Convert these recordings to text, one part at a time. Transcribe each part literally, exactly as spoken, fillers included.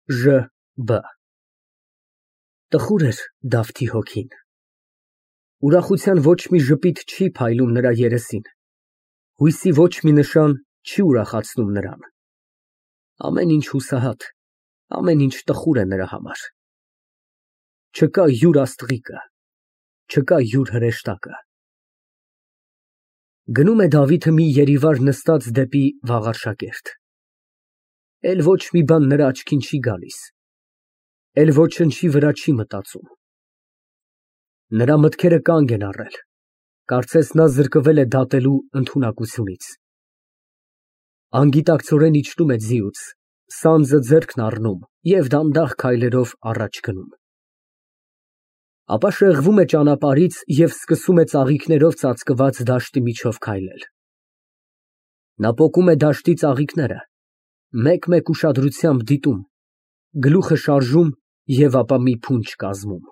Ժ Բ Տխուր էր Դավթի հոգին։ Ուրախության ոչ մի ժպիտ չի փայլում նրա երեսին, հույսի ոչ մի նշան չի ուրախացնում նրան։ Ամեն ինչ հուսահատ, ամեն ինչ տխուր է նրա համար։ Չկա յուր աստղիկը, չկա յուր հրեշտակը։ Գնում է Դավիթը մի երիվար նստած դեպի Վաղարշակերտ։ Էլ ոչ մի բան նրա աչքին չի գալիս, էլ ոչնչի վրա չի մտածում։ Նրա մտքերը կանգ են առել, կարծես նա զրկվել է դատելու ընդունակությունից։ Անգիտակցորեն իջնում է ձիուց, սանձը ձեռքն առնում և դանդաղ քայլերով առաջ գնում։ Ապա շեղվում է ճանապարհից և սկսում է ծաղիկներով ծածկված դաշտի միջով քայլել։ Նա պոկում է դաշտի ծաղիկները, մեկ֊մեկ ուշադրությամբ դիտում, գլուխը շարժում և ապա մի փունջ կազմում։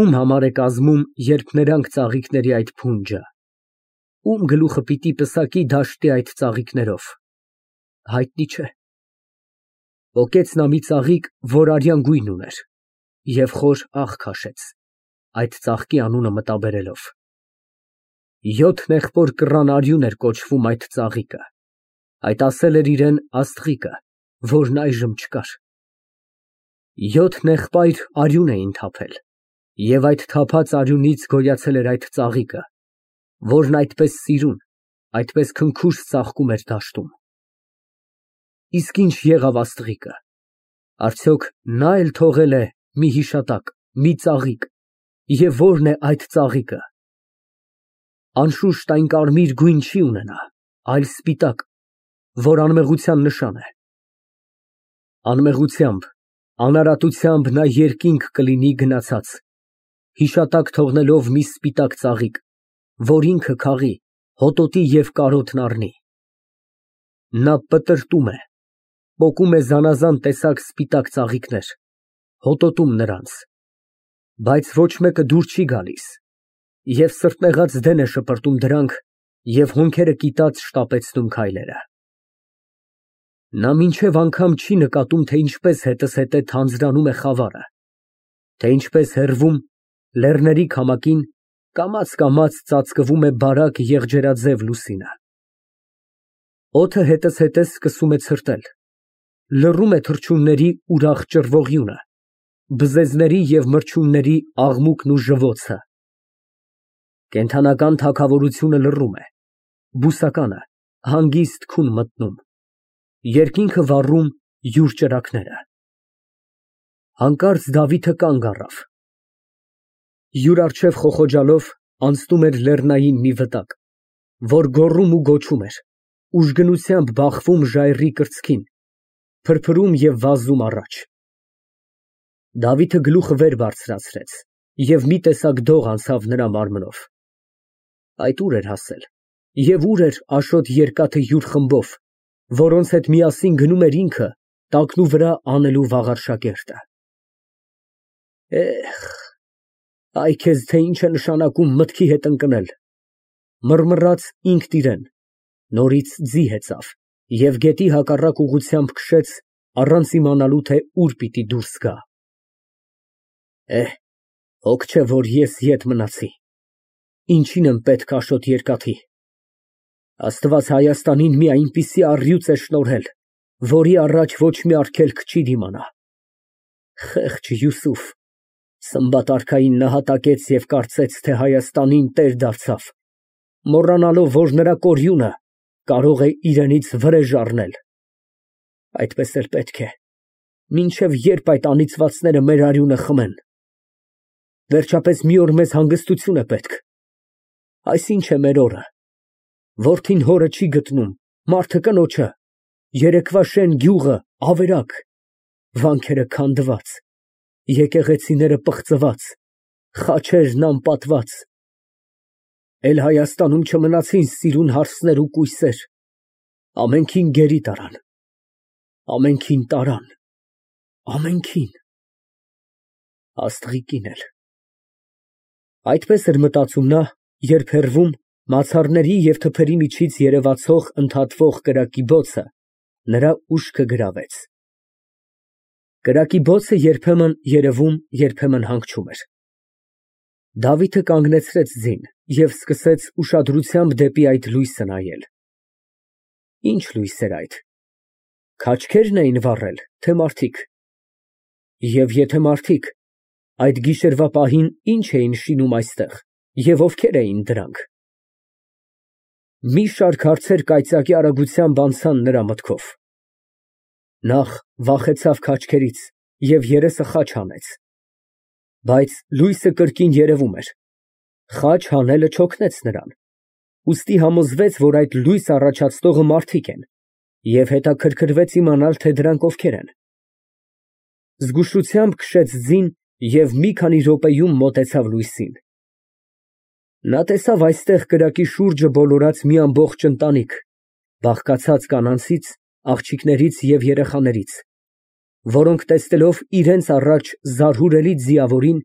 Ում համար է կազմում, երբ նրանք ծաղիկների այդ փունջը, ում գլուխը պիտի պսակի դաշտի այդ ծաղիկներով, հայտնի չէ։ Պոկեց նա մի ծաղիկ, որ արյան գույն ուներ, և խոր աղ քաշեց, այդ ծաղկի անունը մտաբերելով։ Յոթ նեղբոր կռան արյուն էր կոչվում այդ ծաղիկը, այդ ասել էր իրան աստղիկը, որն այժմ չկար։ Յոթ նեղբայր արյուն էին թափել, և այդ թափած արյունից գոյացել էր այդ ծաղիկը, որն այդպես սիրուն, այդպես քնքուշ ծաղկում էր դաշտում։ Իսկ ինչ եղավ աստղիկը, արդյոք նա էլ թողել է մի հիշատակ, մի ծաղիկ, և ո՞րն է այդ ծաղիկը։ Անշուշտ այն կարմիր գույն չի ունենա, այլ սպիտակ, որ անմեղության նշան է։ Անմեղությամբ, անարատությամբ նա երկինք կլինի գնացած, հիշատակ թողնելով մի սպիտակ ծաղիկ, որ ինքը քաղի, հոտոտի և կարոտն առնի։ Նա պտրտում է, պոկում է զանազան տեսակ սպիտակ ծաղիկներ, հոտոտում նրանց, բայց ոչ մեկը դուր չի գալիս, և սրտնեղած դեն է շպրտում դրանք և հոնքերը կիտած շտապեցնում քայլերը։ Նա մինչև անգամ չի նկատում, թե ինչպես հետզհետե թանձրանում է խավարը, թե ինչպես հեռվում, լեռների քամակին, կամաց֊կամաց ծածկվում է բարակ եղջերաձև լուսինը։ Օդը հետզհետե սկսում է ցրտել, լռում է թռչունների ուրախ ճռվողյունը, բզեզների և մրջյունների աղմուկն ու ժվոցը։ Կենդանական թագավորությունը լռում է, բուսականը հանգիստ քուն մտնում, երկինքը վառում յուր ճրագները։ Հանկարծ Դավիթը կանգ առավ։ Յուր առջև խոխոջալով անցնում էր լեռնային մի վտակ, որ գոռում ու գոչում էր, ուժգնությամբ բախվում ժայռի կրծքին, փրփրում և վազում առաջ։ Դավիթը գլուխը վեր բարձրացրեց, և մի տեսակ դող անցավ նրա մարմնով։ Այդ ուր էր հասել, և ուր էր Աշոտ երկաթը յուր խմբով, որոնց հետ միասին գնում էր ինքը, տակնուվրա անելու Վաղարշակերտը։ Էհ, այ քեզ, թե ինչ է նշանակում մտքի հետ ընկնել, մռմռաց ինքն իրան, նորից ձի հեծավ և գետի հակառակ ուղղությամբ քշեց, առանց իմանալու, թե ուր պիտի դուրս գա։ Էհ, հոգ չէ, որ ես ետ մնացի, ինչին եմ պետք Աշոտ երկաթի։ Աստված Հայաստանին մի այնպիսի առյուծ է շնորհել, որի առաջ ոչ մի արգելք չի դիմանա։ Խեղճ Յուսուֆ, Սմբատ արքային նահատակեց և կարծեց, թե Հայաստանին տեր դարձավ, մոռանալով, որ նրա կորյունը կարող է իրենից վրեժ առնել։ Այդպես էլ պետք է, մինչև երբ այդ անիծվածները մեր արյունը խմեն։ Վերջապես մի օր մեզ հանգստություն է պետք։ Այս ինչ է մեր օրը։ Որդին հորը չի գտնում, մարդը կնոջը, երեկվա շեն գյուղը ավերակ, վանքերը քանդված, եկեղեցիները պղծված, խաչերն անպատված։ Էլ Հայաստանում չմնացին սիրուն հարսներ ու կույսեր, ամենքին գերի տարան, ամենքին տարան, ամենքին, աստղիկին էլ։ Այդպես էր մտածում նա, երբ հեռվում, մացառների և թփերի միջից երևացող ընդհատվող կրակի բոցը նրա ուշքը գրավեց։ Կրակի բոցը երբեմն երևում, երբեմն հանգչում էր։ Դավիթը կանգնեցրեց ձին և սկսեց ուշադրությամբ դեպի այդ լույսը նայել։ Ինչ լույս էր այդ, քաչքե՞րն էին վառել, թե մարդիկ։ Եվ եթե մարդիկ, այդ գիշերվա պահին ի՞նչ էին շինում այստեղ և ովքեր էին դրանք։ Մի շարք հարցեր կայծակի արագությամբ անցան նրա մտքով։ Նախ վախեցավ քաչքերից և երեսը խաչ հանեց, բայց լույսը կրկին երևում էր։ Խաչ հանելը չօգնեց նրան, ուստի համոզվեց, որ այդ լույս առաջացնողը մարդիկ են, և հետաքրքրվեց իմանալ, թե դրանք ովքեր են։ Զգուշությամբ քշեց ձին և մի քանի րոպեում մոտեցավ լույսին։ Նա տեսավ այստեղ կրակի շուրջը բոլորած մի ամբողջ ընտանիք, բաղկացած կանանցից, աղջիկներից և երեխաներից, որոնք տեսնելով իրենց առաջ զարհուրելի ձիավորին,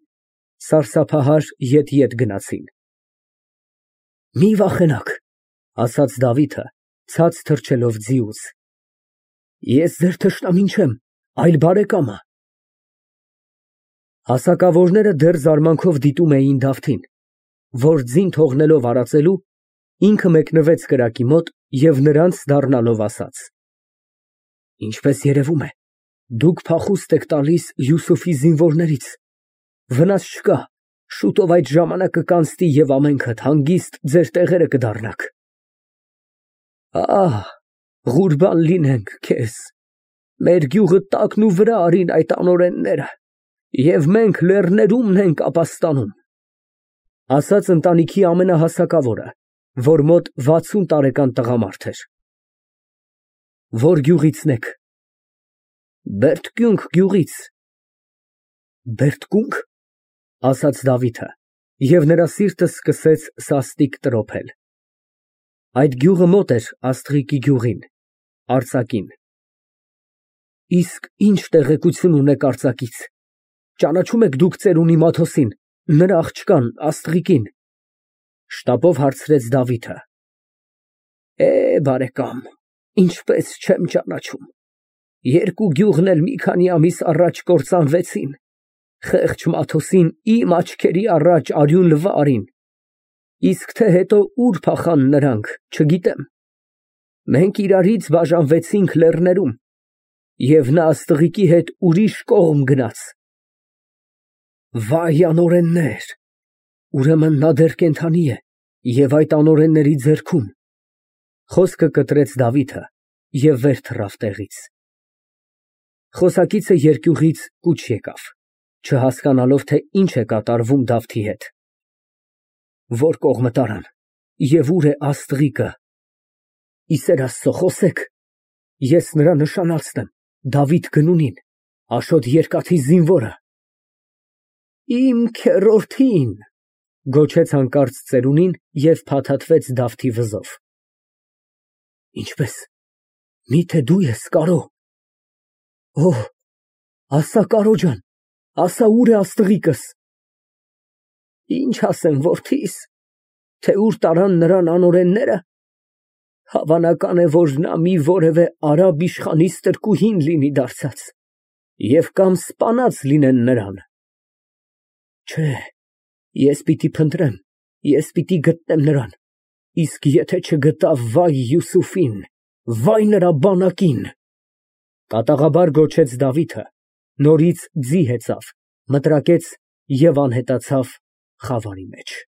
սարսափահար ետ֊ետ գնացին։ Մի վախենաք, ասաց Դավիթը, ցած թռչելով ձիուց, ես ձեր թշնամին չեմ, այլ բարեկամը։ Հասակավորները դեռ զարմանքով դիտում էին Դավթին, որ ձին թողնելով արածելու, ինքը մեկնվեց կրակի մոտ և նրանց դառնալով ասաց. Ինչպես երևում է, դուք փախուստ եք տալիս Յուսուֆի զինվորներից, վնաս չկա, շուտով այդ ժամանակը կանցնի և ամենքդ հանգիստ ձեր տեղերը կդառնաք։ Ահ, ղուրբան լինենք քեզ, մեր գյուղը տակն ու վրա արին այդ անօրենները, և մենք լեռներումն ենք ապաստանում, ասաց ընտանիքի ամենահասակավորը, որ մոտ վաթսուն տարեկան տղամարդ էր։ Ո՞ր գյուղիցն եք։ Բերդկյունք գյուղից։ Բերդկո՞ւնք, ասաց Դավիթը, և նրա սիրտը սկսեց սաստիկ տրոփել։ Այդ գյուղը մոտ էր Աստղիկի գյուղին, արձակին։ Իսկ ի՞նչ տեղեկություն ունեք արձակից, ճանաչո՞ւմ եք դուք ծերունի Մաթոսին, նրա աղջկան Աստղիկին, շտապով հարցրեց Դավիթը։ Է, բարեկամ, ինչպես չեմ ճանաչում, երկու գյուղն էլ մի քանի ամիս առաջ կործանվեցին, խեղճ Մաթոսին իմ աչքերի առաջ արյուն լվա արին, իսկ թե հետո ուր փախան նրանք, չգիտեմ, մենք իրարից բաժանվեցինք լեռներում, և նա Աստղիկի հետ ուրիշ կողմ գնաց։ Վայ անօրեններ, ուրեմն նա դեռ կենդանի է և այդ անօրենների ձեռքում, խոսքը կտրեց Դավիթը և վեր թռավ տեղից։ Խոսակիցը երկյուղից կուչ եկավ, չհասկանալով, թե ինչ է կատարվում Դավթի հետ։ Ո՞ր կողմը տարան և ուր է Աստղիկը։ Ի սեր Աստծո, խոսեք, ես նրա նշանածն եմ, Դավիթ գնունին, Աշոտ երկաթի զինվորը։ Իմ քեռորդին, գոչեց հանկարծ ծերունին և փաթաթվեց Դավթի վզով։ Ինչպես, միթե դու ես, կարո։ Օհ, ասա, կարո ջան, ասա, ուր է Աստղիկս։ Ինչ ասեմ, որդիս, թե ուր տարան նրան անօրենները, հավանական է, որ նա մի որևէ արաբ իշխանի ստրկուհին լինի դարձած և կամ սպանած լինեն նրան։ Չէ, ես պիտի փնտրեմ, ես պիտի գտնեմ նրան, իսկ եթե չգտա, վայ Յուսուֆին, վայ նրա բանակին։ Կատաղաբար գոչեց Դավիթը, նորից ձի հեծավ, մտրակեց և անհետացավ խավարի մեջ։